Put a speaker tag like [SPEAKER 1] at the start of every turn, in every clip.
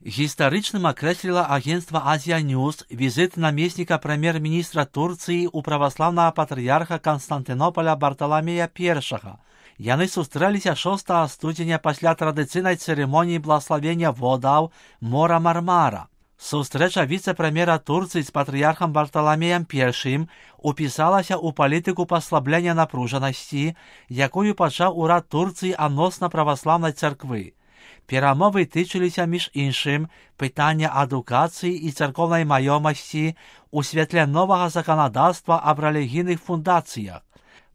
[SPEAKER 1] Гістарычным акрэсліла агенцтва Азія Ньюс візіт намесніка прэм'ер-міністра Турцыі ў праваслаўнага патрыярха Канстантынополя Барталамея I. Яны сустрэліся 6 студзеня пасля традыцыйнай цырымоніі благаславення водаў мора Мармара. Сустрэча віцэ-прэм'ера Турцыі з патрыярхам Барталамеем I упісалася ў палітыку паслаблення напружанасці, якую пачаў урад Турцыі адносна праваслаўнай царквы. Перамовы тычыліся, між іншым, пытання адукацыі і царкоўнай маёмасці ў святле новага заканадаўства аб рэлігійных фундацыях.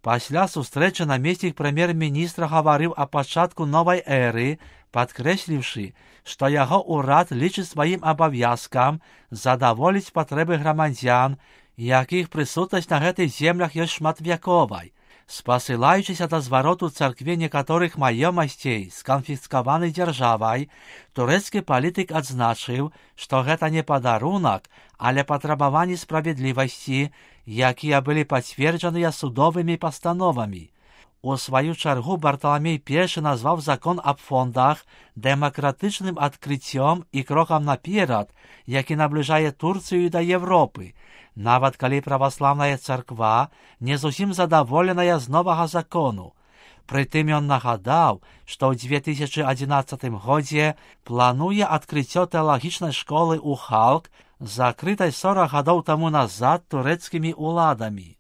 [SPEAKER 1] Пасля сустрэчы намеснік прэм'ер-міністра гаварыў о пачатку новай эры, падкрэсліўшы, што яго ўрад лічыць сваім абавязкам задаволіць патрэбы грамадзян, якіх прысутнасць на гэтых землях ёсць шматвяковай. Спасылаючыся да звароту царкве некаторых маёмасцей сканфіскаванай дзяржавай, турэцкі палітык адзначыў, што гэта не падарунак, але патрабаванні справядлівасці, якія былі пацверджаныя судовымі пастановамі. У сваю чаргу Барталамей I назваў закон аб фондах дэмакратычным адкрыццём і крокам наперад, які набліжае Турцыю да Европы, нават калі праваслаўная царква не зусім задаволеная з новага закону. Прытым ён нагадаў, што ў 2011 годзе плануе адкрыццё тэалагічнай школы ў Халк, закрытай 40 гадоў таму назад турэцкімі ўладамі.